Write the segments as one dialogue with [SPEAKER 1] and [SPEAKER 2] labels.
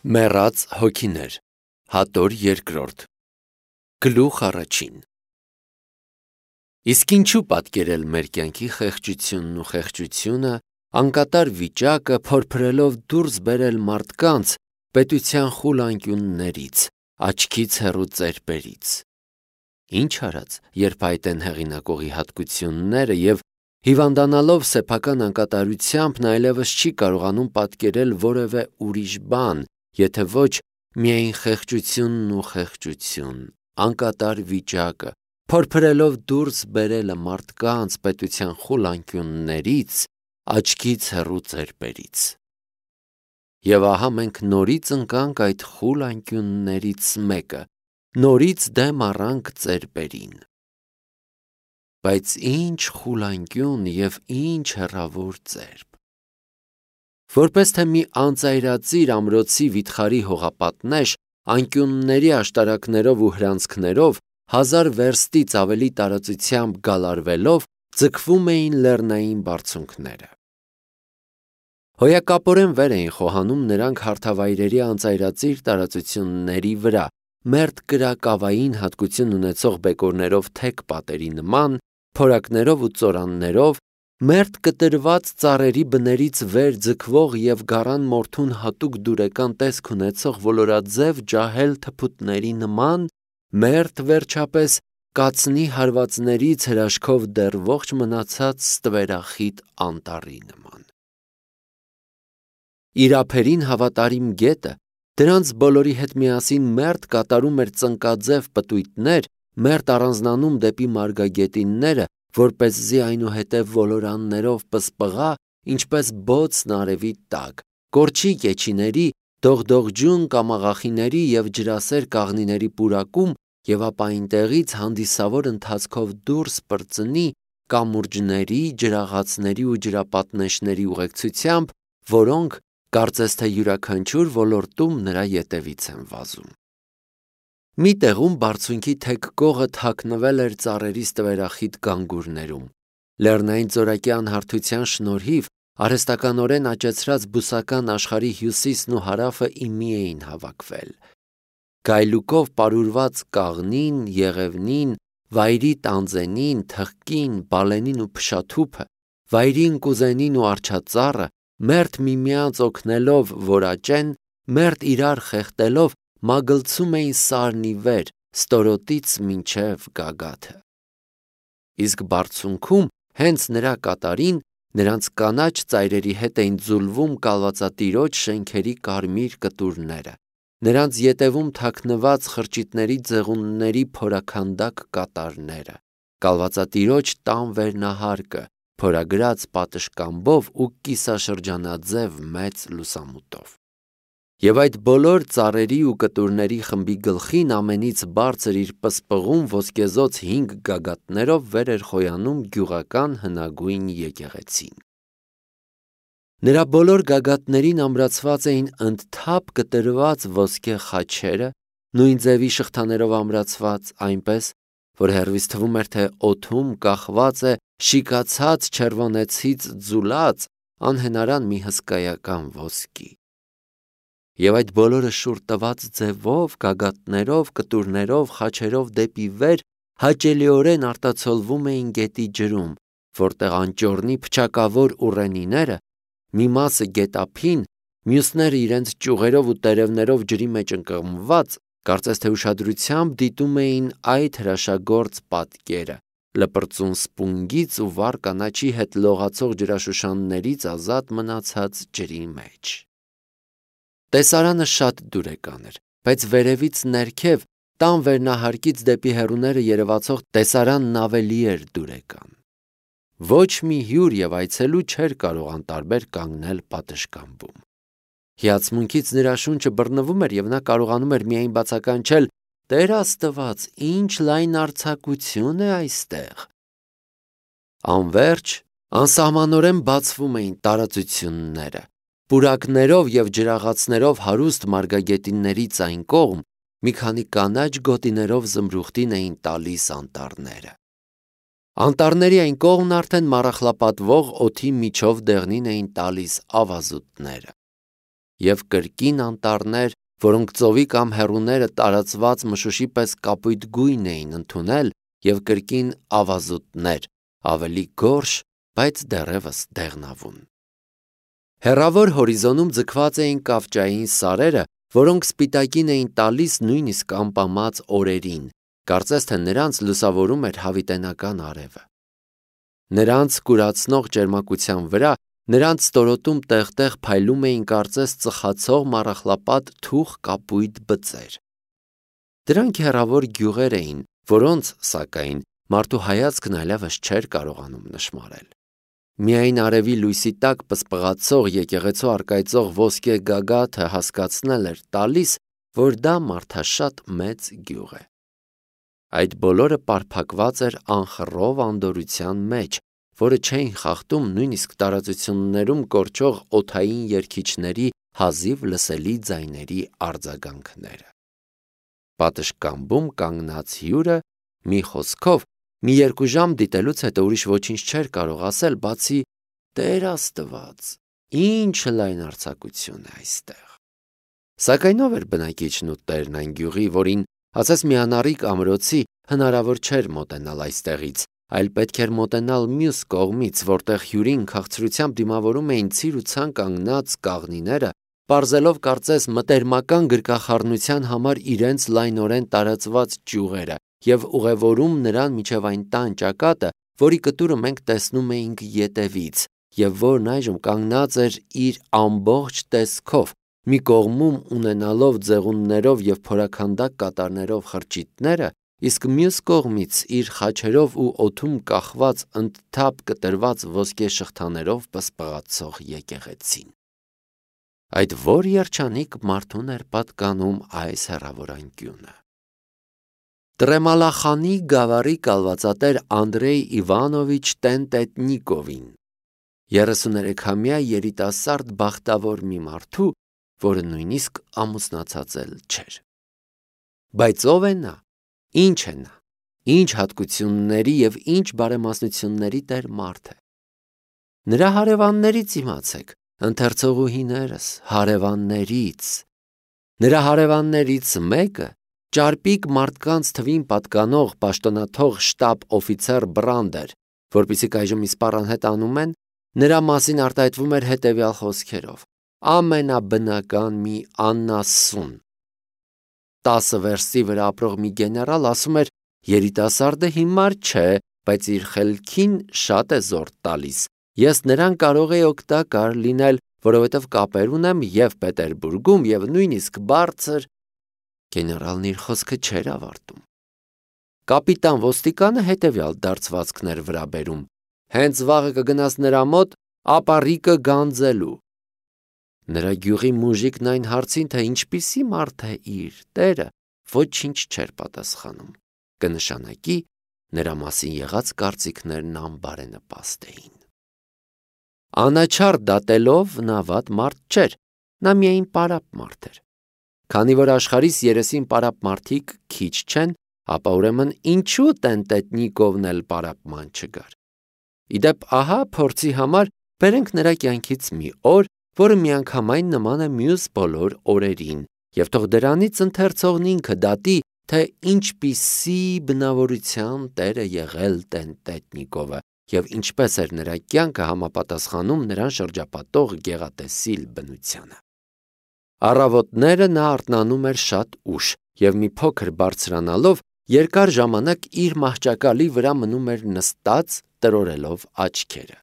[SPEAKER 1] Մեռած հոգիներ, հատոր երկրորդ, գլուխ առաջին։ Իսկ ինչու պատկերել մեր կյանքի խեղճությունն ու խեղճությունը, անկատար վիճակը փորփրելով դուրս բերել մարդկանց պետության խուլ անկյուններից, աչքից հեռու ծերպերից։ Ինչ արած, երբ այդ են հեղինակողի հատկությունները և հիվանդանալով սեփական անկատարությամբ նա այլևս չի կարողանում պատկերել որևէ ուրիշ բան, եթե ոչ միայն խեղճությունն ու խեղճություն, անկատար վիճակը, փորփրելով դուրս բերելը մարդկանց պետության խուլ անկյուններից, աչքից հեռու ծերպերից։ Եվ ահա մենք նորից ընկանք այդ խուլ անկյուններից մեկը, նորից դեմ առանք ծերպերին։ Բայց ինչ խուլ անկյուն և ինչ հեռավոր ծերպ։ Որպես թե մի անծայրածիր ամրոցի վիթխարի հողապատնեշ, անկյունների աշտարակներով ու հրանցքներով, 1000 վերստից ավելի տարածությամբ գալարվելով, ձգվում էին լեռնային բարձունքները։ Հոյակապորեն վեր էին խոհանում նրանք հարթավայրերի անծայրածիր տարածությունների վրա, մերթ կրակավային հատկություն ունեցող բեկորներով թեք պատերի նման, փորակներով ու ծորաններով, մերթ կտրված ծառերի բներից վեր ձգվող և գառան մորթուն հատուկ դուրեկան տեսք ունեցող ոլորաձև ջահել թփուտների նման, մերթ վերջապես կացնի հարվածներից հրաշքով դեռ ողջ մնացած ստվերախիտ անտառի նման։ Իր ափերին հավատարիմ գետը դրանց բոլորի հետ միասին մերթ կատարում էր ծնկաձև պտույտներ, մերթ առանձնանում դեպի մարգագետինները, որպեսզի այնուհետև ոլորաններով պսպղա, ինչպես բոցն արևի տակ, կորչի կեչիների, դողդողջուն կամաղախիների և ջրասեր կաղնիների պուրակում և ապա այնտեղից հանդիսավոր ընթացքով դուրս պրծնի կամուրջների, ջրաղացների ու ջրապատնեշների ուղեկցությամբ, որոնք, կարծես թե յուրաքանչյուր ոլորտում նրա ետևից են վազում։ Մի տեղում բարձունքի թեք կողը թաքնվել էր ծառերի ստվերախիտ գանգուրներում։ Լեռնային ծորակի անհարթության շնորհիվ արհեստականորեն աճեցրած բուսական աշխարհի հյուսիսն ու հարավը ի մի էին հավաքվել։ Գայլուկով պարուրված կաղնին, եղևնին, վայրի տանձենին, թխկին, բալենին ու փշաթուփը, վայրին կուզենին ու արջածառը, մերթ միմյանց օգնելով, որ աճեն, մերթ իրար խեղդելով, մագլցում էին սարն ի վեր, ստորոտից մինչև գագաթը։ Իսկ բարձունքում, հենց նրա կատարին, նրանց կանաչ ծայրերի հետ էին ձուլվում կալվածատիրոջ շենքերի կարմիր կտուրները, նրանց ետևում թաքնված խրճիթների ձեղունների փորաքանդակ կատարները, կալվածատիրոջ տան վերնահարկը, փորագրած պատշգամբով ու կիսաշրջանաձև մեծ լուսամուտով։ Եվ այդ բոլոր ծառերի ու կտուրների խմբի գլխին ամենից բարձր իր պսպղուն ոսկեզօծ 5 գագաթներով վեր էր խոյանում գյուղական հնագույն եկեղեցին։ Նրա բոլոր գագաթներին ամրացված էին ընդթափ կտրված ոսկե խաչերը, նույն ձևի շղթաներով ամրացված, այնպես, որ հեռվից թվում էր, թե օդում կախված է շիկացած չերվոնեցից ձուլած անհենարան մի հսկայական ոսկի։ Եվ այդ բոլորը շուռ տված ձևով, գագաթներով, կտուրներով, խաչերով դեպի վեր հաճելիորեն արտացոլվում էին գետի ջրում, որտեղ անճոռնի փչակավոր ուռենիները, մի մասը գետափին, մյուսները իրենց ճյուղերով ու տերևներով ջրի մեջ ընկղմված, կարծես թե ուշադրությամբ դիտում էին այդ հրաշագործ պատկերը, լպրծուն սպունգից ու վառ կանաչի հետ լողացող ջրաշուշաններից ազատ մնացած ջրի մեջ։ Տեսարանը շատ դուրեկան էր, բայց վերևից ներքև, տան վերնահարկից դեպի հեռուները երևացող տեսարանն ավելի էր դուրեկան։ Ոչ մի հյուր և այցելու չէր կարող անտարբեր կանգնել պատշգամբում։ Հիացմունքից նրա շունչը բռնվում էր և նա կարողանում էր միայն բացականչել. «Տեր Աստված, ինչ լայն արձակություն է այստեղ»։ Անվերջ, անսահմանորեն բացվում էին տարածությունները։ Պուրակներով և ջրաղացներով հարուստ մարգագետիններից այն կողմ մի քանի կանաչ գոտիներով զմրուխտին էին տալիս անտառները։ Անտառների այն կողմն արդեն մառախլապատվող օդի միջով դեղնին էին տալիս ավազուտները։ և կրկին անտառներ, որոնք ծովի կամ հեռուները տարածված մշուշի պես կապույտ գույն էին ընդունել, և կրկին ավազուտներ, ավելի գորշ, բայց դեռևս դեղնավուն։ Հեռավոր հորիզոնում ձգված էին կավճային սարերը, որոնք սպիտակին էին տալիս նույնիսկ ամպամած օրերին, կարծես թե նրանց լուսավորում էր հավիտենական արևը։ Նրանց կուրացնող ջերմակության վրա նրանց ստորոտում տեղ-տեղ փայլում էին կարծես ծխացող մառախլապատ թուխ կապույտ բծեր։ Դրանք հեռավոր գյուղեր էին, որոնց, սակայն, մարդու հայացքն այլևս չէր կարողանում նշմարել։ Միայն արևի լույսի տակ պսպղացող եկեղեցու առկայծող ոսկե գագաթը հասկացնել էր տալիս, որ դա մարդաշատ մեծ գյուղ է։ Այդ բոլորը պարփակված էր անխռով անդորրության մեջ, որը չէին խախտում նույնիսկ տարածություններում կորչող օդային երգիչների հազիվ լսելի ձայների արձագանքները։ Պատշգամբում կանգնած հյուրը, մի խոսքով, մի 2 ժամ դիտելուց հետո ուրիշ ոչինչ չէր կարող ասել, բացի «Տեր Աստված, ինչ լայնարձակություն է այստեղ»։ Սակայն ով էր բնակիչն ու տերն այն գյուղի, որին, ասես մի անառիկ ամրոցի, հնարավոր չէր մոտենալ այստեղից, այլ պետք էր մոտենալ մյուս կողմից, որտեղ հյուրին քաղցրությամբ դիմավորում էին ցիր ու ցան կանգնած կաղնիները, պարզելով կարծես մտերմական գրկախառնության համար իրենց լայնորեն տարածված ճյուղերը և ուղևորում նրան մինչև այն տան ճակատը, որի կտուրը մենք տեսնում էինք ետևից, և որն այժմ կանգնած էր իր ամբողջ տեսքով, մի կողմում ունենալով ձեղուններով և փորաքանդակ կատարներով խրճիթները, իսկ մյուս կողմից իր խաչերով ու օդում կախված ընդթափ կտրված ոսկե շղթաներով պսպղացող եկեղեցին։ Այդ որ երջանիկ մարդուն էր պատկանում այս հեռավոր անկյունը։ Տրեմալախանի գավառի կալվածատեր Անդրեյ Իվանովիչ Տենտետնիկովին, 33-ամյա երիտասարդ բախտավոր մի մարդու, որը նույնիսկ ամուսնացած էլ չէր։ Բայց ով է նա, ինչ է նա, ինչ հատկությունների և ինչ բարեմասնությունների տեր մարդ է։ Նրա հարևաններից իմացեք, ընթերցողուհիներս, հարևաններից։ Նրա հարևաններից մեկը ճարպիկ մարդկանց թվին պատկանող պաշտոնաթող շտաբ օֆիցեր Բրանդեր, որպեսզի այժմ իսպառ անհետ անում են, նրա մասին արտահայտվում էր հետևյալ խոսքերով. ամենաբնական մի անասուն։ 10 վերստի վրա ապրող մի գեներալ ասում էր. երիտասարդը հիմար չէ, բայց իր խելքին շատ է զորք տալիս։ Ես նրան կարող էի օգտակար լինել, որովհետև կապեր ունեմ և Պետերբուրգում, և նույնիսկ բարձր։ Գեներալն իր խոսքը չէր ավարտում։ Կապիտան ոստիկանը հետևյալ դարձվածքն էր վրա բերում. հենց վաղը կգնաս նրա մոտ ապառիկը գանձելու։ Նրա գյուղի մուժիկն այն հարցին, թե ինչպիսի մարդ է իր տերը, ոչինչ չէր պատասխանում, կնշանակի նրա մասին եղած կարծիքներն անբարենպաստ էին։ Անաչառ դատելով նա վատ մարդ չէր, նա միայն պարապ մարդ էր։ Քանի որ աշխարհիս երեսին պարապ մարդիկ քիչ չեն, ապա ուրեմն ինչու Տենտետնիկովն էլ պարապման չգար։ Իդեպ ահա փորձի համար բերենք նրա կյանքից մի օր, որը միանգամայն նման է մյուս բոլոր օրերին, և թող դրանից ընթերցողն ինքը դատի, թե ինչպիսի բնավորության տեր է եղել Տենտետնիկովը և ինչպես էր նրա կյանքը համապատասխանում նրան շրջապատող գեղատեսիլ բնությանը։ Առավոտները նա արթնանում էր շատ ուշ և մի փոքր բարձրանալով երկար ժամանակ իր մահճակալի վրա մնում էր նստած տրորելով աչքերը։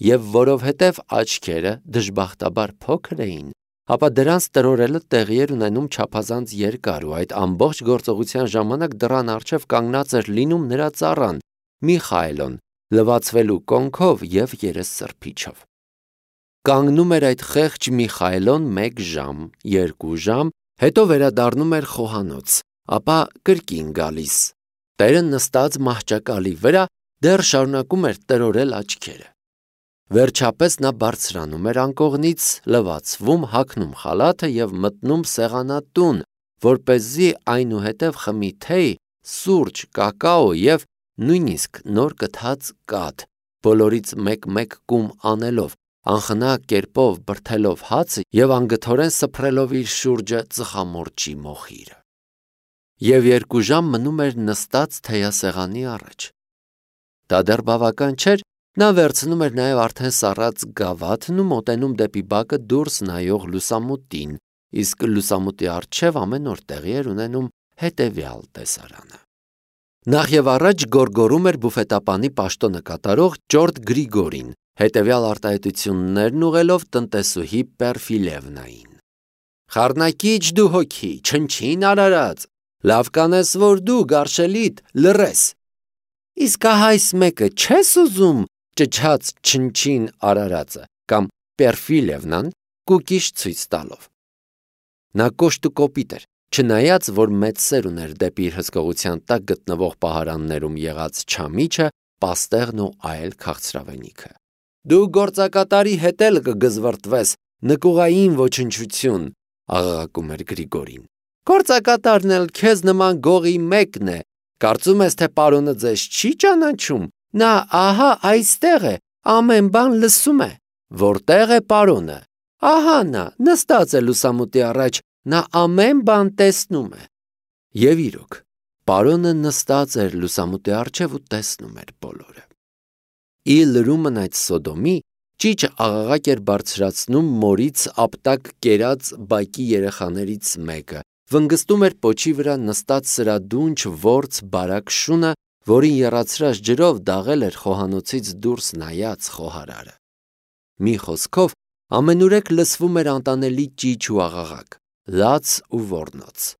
[SPEAKER 1] Եվ որովհետև աչքերը դժբախտաբար փոքր էին, ապա դրանց տրորելը տեղի էր ունենում չափազանց երկար ու այդ ամբողջ գործողության ժամանակ դռան առջև կանգնած էր լինում նրա ծառան Միխայելոն, լվացվելու կոնքով և երեսսրբիչով։ Կանգնում էր այդ խեղճ Միխայելոն 1 ժամ, 2 ժամ, հետո վերադառնում էր խոհանոց, ապա կրկին գալիս։ Տերը նստած մահճակալի վրա դեռ շարունակում էր տրորել աչքերը։ Վերջապես նա բարձրանում էր անկողնից, լվացվում, հագնում խալաթը և մտնում սեղանատուն, որպեսզի այնուհետև խմի թեյ, սուրճ, կակաո և նույնիսկ նոր կթած կաթ, բոլորից մեկ-մեկ կում անելով, անխնա կերպով բրդելով հացը և անգթորեն սփռելով իր շուրջը ծխամորճի մոխիրը։ Եվ 2 ժամ մնում էր նստած թեյասեղանի առաջ։ Դա դեռ բավական չէր, նա վերցնում էր նաև արդեն սառած գավաթն ու մոտենում դեպի բակը դուրս նայող լուսամուտին, իսկ լուսամուտի առջև ամեն օր տեղի էր ունենում հետևյալ տեսարանը։ Նախ եւ առաջ գոռգոռում էր բուֆետապանի պաշտոնը կատարող Ճորտ Գրիգորին, հետևյալ արտահայտություններն ուղղելով տնտեսուհի Պերֆիլևնային։ «Խառնակիչ դու հոգի, չնչին արարած, լավ կանես, որ դու գարշելիդ լռես։ Իսկ ահա այս մեկը չես ուզում ճչաց չնչին արարածը», կամ Պերֆիլևնան կուկիշ ցույց տալով։ Նա կոշտ ու կոպիտ էր, չնայած որ մեծ սեր ուներ դեպի իր հսկողության տակ գտնվող պահարաններում եղած չամիչը, պաստեղն ու այլ քաղցրավենիքը։ «Դու գործակատարի հետ էլ կգզվրտվես, նկուղային ոչնչություն», աղաղակում էր Գրիգորին։ «Գործակատարն էլ քեզ նման գողի մեկն է, կարծում ես, թե պարոնը ձեզ չի ճանաչում, նա ահա այստեղ է, ամեն բան լսում է։ Որտեղ է պարոնը։ Ահա նա նստած է լուսամուտի առաջ, նա ամեն բան տեսնում է»։ Եվ իրոք, պարոնը նստած էր լուսամուտի առջև ու տեսնում էր բոլորը։ Ի լրումն այդ Սոդոմի, ճիճը աղաղակ էր բարձրացնում մորից ապտակ կերած բակի երեխաներից մեկը, վնգստում էր պոչի վրա նստած սրադունչ որց բարակ շունը, որին եռացրած ջրով դաղել էր խոհանոցից դուրս նայած խոհարարը։ Մի խոսքով, ամենուրեք լսվում էր անտանելի ճիչ ու աղաղակ, լաց ու ոռնոց։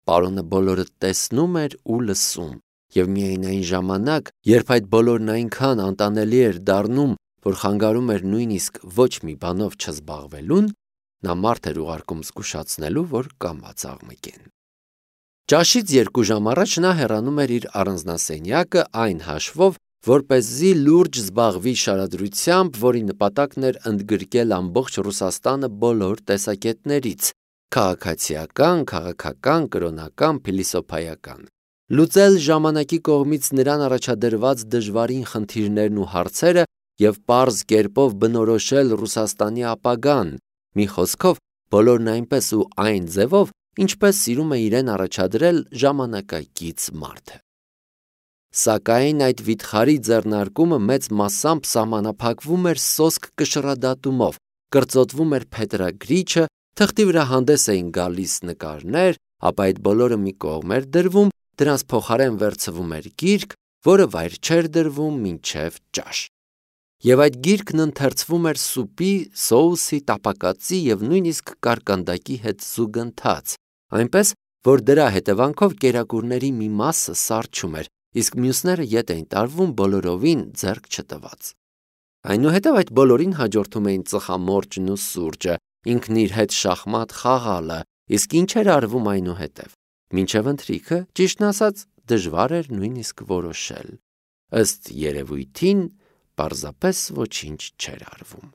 [SPEAKER 1] Պարոնը բոլորը տեսնում էր ու լսում, և միայն այն ժամանակ, երբ այդ բոլորն այնքան անտանելի էր դառնում, որ խանգարում էր նույնիսկ ոչ մի բանով չզբաղվելուն, նա մարդ էր ուղարկում զգուշացնելու, որ կամաց աղմկեն։ Ճաշից 2 ժամ առաջ նա հեռանում էր իր առանձնասենյակը այն հաշվով, որպեսզի լուրջ զբաղվի շարադրությամբ, որի նպատակն էր ընդգրկել ամբողջ Ռուսաստանը բոլոր տեսակետներից՝ քաղաքացիական, քաղաքական, կրոնական, փիլիսոփայական, լուծել ժամանակի կողմից նրան առաջադրված դժվարին խնդիրներն ու հարցերը և պարզ կերպով բնորոշել Ռուսաստանի ապագան, մի խոսքով, բոլորն այնպես ու այն ձևով, ինչպես սիրում է իրեն առաջադրել ժամանակակից մարդը։ Սակայն այդ վիթխարի ձեռնարկումը մեծ մասամբ սահմանափակվում էր սոսկ կշռադատումով, կրծոտվում էր փետրագրիչը, թղթի վրա հանդես էին գալիս նկարներ, ապա այդ բոլորը մի կողմ էր դրվում, դրանց փոխարեն վերցվում էր գիրք, որը վայր չէր դրվում մինչև ճաշ։ Եվ այդ գիրքն ընթերցվում էր սուպի, սոուսի, տապակածի և նույնիսկ կարկանդակի հետ զուգընթաց, այնպես, որ դրա հետևանքով կերակուրների մի մասը սառչում էր, իսկ մյուսները ետ էին տարվում բոլորովին ձեռք չտված։ Այնուհետև այդ բոլորին հաջորդում էին ծխամորճն ու սուրճը, ինքն իր հետ շախմատ խաղալը, իսկ ինչ էր արվում այնուհետև։ Մինչև ընթրիքը, ճիշտն ասած, դժվար էր նույնիսկ որոշել։ Ըստ երևույթին, պարզապես ոչինչ չէր արվում։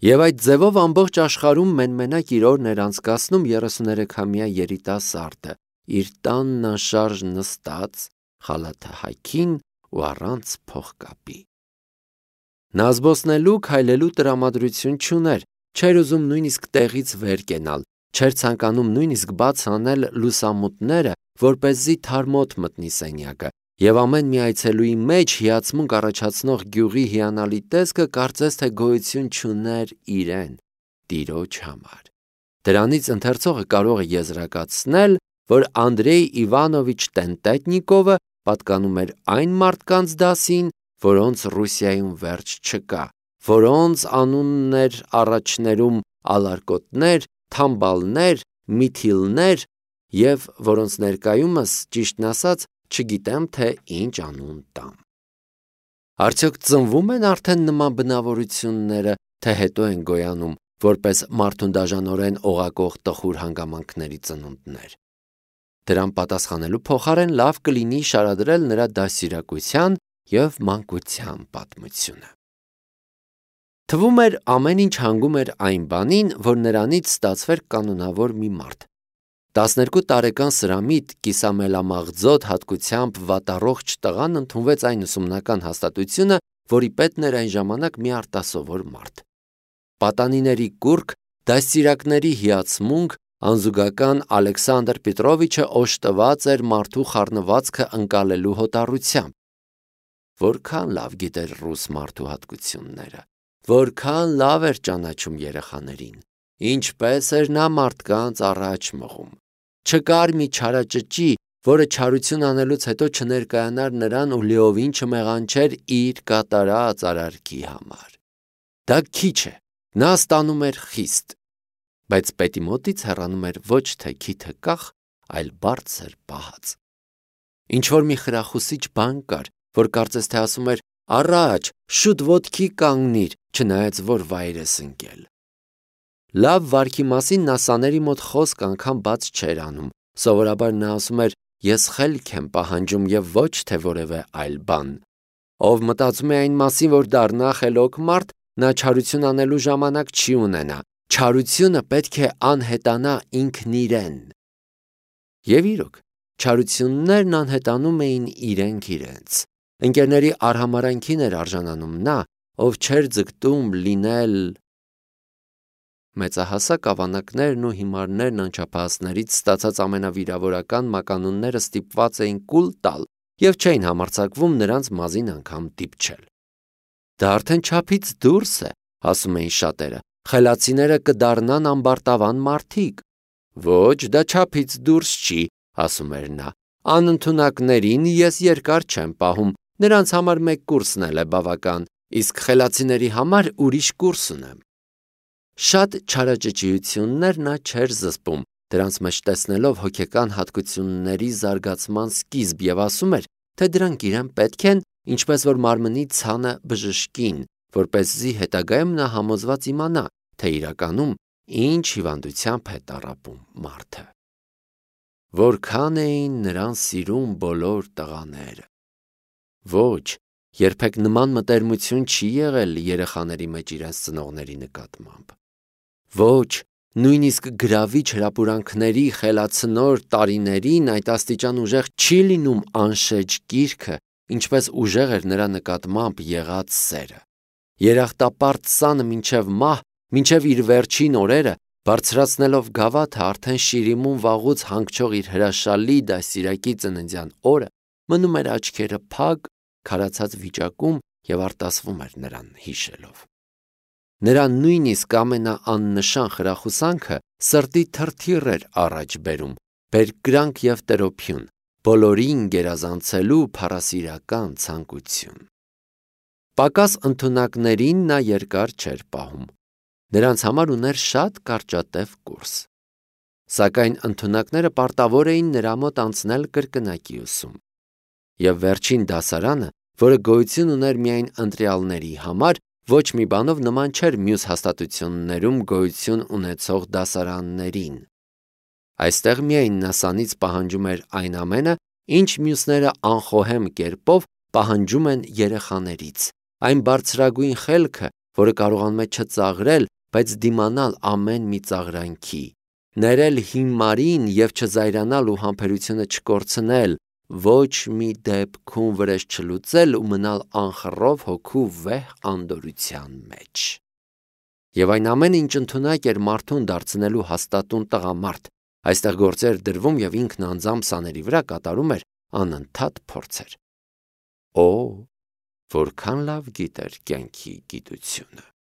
[SPEAKER 1] Եվ այդ ձևով ամբողջ աշխարհում մենմենակ իր օրն էր անցկացնում 33-ամյա երիտասարդը, իր տանն անշարժ նստած, խալաթը հագին ու առանց փողկապի։ Նա զբոսնելու, քայլելու տրամադրություն չուներ, չէր ուզում նույնիսկ տեղից վեր կենալ, չէր ցանկանում նույնիսկ բաց անել լուսամուտները, որպեսզի թարմոտ մտնի սենյակը, և ամեն մի այցելուի մեջ հիացմունք առաջացնող գյուղի հիանալի տեսքը կարծես թե գոյություն չուներ իրեն, տիրոջ համար։ Դրանից ընթերցողը կարող է եզրակացնել, որ Անդրեյ Իվանովիչ Տենտետնիկովը պատկանում էր այն մարդկանց դասին, որոնց Ռուսիայում վերջ չկա, որոնց անունն էր առաջներում ալարկոտներ, թամբալներ, միթիլներ և որոնց ներկայումս, ճիշտն ասած, չգիտեմ, թե ինչ անուն տամ։ Արդյոք ծնվում են արդեն նման բնավորությունները, թե հետո են գոյանում, որպես մարդուն դաժանորեն օղակող տխուր հանգամանքների ծնունդներ։ Դրան պատասխանելու փոխարեն լավ կլինի շարադրել նրա դաստիարակության և մանկության պատմությունը։ Թվում էր ամեն ինչ հանգում էր այն բանին, որ նրանից ստացվեր կանոնավոր մի մարդ։ 12 տարեկան սրամիտ կիսամելամաղձոտ հատկությամբ վատառողջ տղան ընդունվեց այն ուսումնական հաստատությունը, որի պետն էր այն ժամանակ մի արտասովոր մարդ։ Պատանիների կուռք, դաստիարակների հիացմունք, անզուգական Ալեքսանդր Պետրովիչը օժտված էր մարդու խառնվածքը ընկալելու հոտառությամբ։ Որքան լավ գիտեր ռուս մարդու հատկությունները, որքան լավ էր ճանաչում երեխաներին, ինչպես էր նա մարդկանց առաջ մղում։ Չկար մի չարաճճի, որը չարություն անելուց հետո չներկայանար նրան ու լիովին չմեղանչեր իր կատարած արարքի համար։ Դա քիչ է, նա ստանում էր խիստ, բայց պետի մոտից հեռանում էր ոչ թե քիթը կախ, այլ բարձր պահած։ Ինչ-որ մի խրախուսիչ բան կար, որ կարծես թե ասում էր «Առաջ, շուտ ոտքի կանգնիր», չնայած որ վայր ես ընկել։ Լավ վարքի մասին նա սաների մոտ խոսք անգամ բաց չէր անում, սովորաբար նա ասում էր «Ես խելք եմ պահանջում և ոչ թե որևէ այլ բան»։ Ով մտածում է այն մասին, որ դառնա խելոք մարդ, նա չարություն անելու ժամանակ չի ունենա, չարությունը պետք է անհետանա ինքն իրեն։ Եվ իրոք, չարություններն անհետանում էին իրենք իրենց։ Ընկերների արհամարհանքին էր արժանանում նա, ով չէր ձգտում լինել։ Մեծահասակ ավանակներն ու հիմարներն անչափահասներից ստացած ամենավիրավորական մականունները ստիպված էին կուլ տալ և չէին համարձակվում նրանց մազին անգամ դիպչել։ Դա արդեն չափից դուրս է, ասում էին շատերը, խելացիները կդառնան ամբարտավան մարդիկ։ Ոչ, դա չափից դուրս չի, ասում էր նա, անընդունակներին ես երկար չեմ պահում, նրանց համար մեկ կուրսն էլ է բավական, իսկ խելացիների համար ուրիշ կուրս ունեմ։ Շատ չարաճճիություններ նա չէր զսպում, դրանց մեջ տեսնելով հոգեկան հատկությունների զարգացման սկիզբ և ասում էր, թե դրանք իրեն պետք են, ինչպես որ մարմնի ցանը բժշկին, որպեսզի հետագայում նա համոզված իմանա, թե իրականում ինչ հիվանդությամբ է տառապում մարդը։ Որքան էին նրան սիրում բոլոր տղաները։ Ոչ, երբեք նման մտերմություն չի եղել երեխաների մեջ իրենց ծնողների նկատմամբ։ Ոչ, նույնիսկ գրավիչ հրապուրանքների խելացնոր տարիներին այդ աստիճան ուժեղ չի լինում անշեջ կիրքը, ինչպես ուժեղ էր նրա նկատմամբ եղած սերը։ Երախտապարտ սանը մինչև մահ, մինչև իր վերջին օրերը, բարձրացնելով գավաթը արդեն շիրիմում վաղուց հանգչող իր հրաշալի դաստիարակի ծննդյան օրը, մնում էր աչքերը փակ, քարացած վիճակում և արտասվում էր նրան հիշելով։ Նրա նույնիսկ ամենաաննշան խրախուսանքը սրտի թրթիռ էր առաջ բերում, բերկրանք և տրոփյուն, բոլորին գերազանցելու փառասիրական ցանկություն։ Պակաս ընդունակներին նա երկար չէր պահում, նրանց համար ուներ շատ կարճատև կուրս։ Սակայն ընդունակները պարտավոր էին նրա մոտ անցնել կրկնակի ուսում։ Եվ վերջին դասարանը, որը գոյություն ուներ միայն ընտրյալների համար, ոչ մի բանով նման չէր մյուս հաստատություններում գոյություն ունեցող դասարաններին։ Այստեղ միայն նա սանից պահանջում էր այն ամենը, ինչ մյուսները անխոհեմ կերպով պահանջում են երեխաներից, այն բարձրագույն խելքը, որը կարողանում է չծաղրել, բայց դիմանալ ամեն մի ծաղրանքի, ներել հիմարին և չզայրանալ ու համբերությունը չկորցնել, ոչ մի դեպքում վրեժ չլուծել ու մնալ անխռով հոգու վեհ անդորրության մեջ։ Եվ այն ամենը, ինչ ընդունակ էր մարդուն դարձնելու հաստատուն տղամարդ, այստեղ գործի էր դրվում և ինքն անձամբ սաների վրա կատարում էր անընդհատ փորձեր։ Օ, որքան լավ գիտեր կյանքի գիտությունը։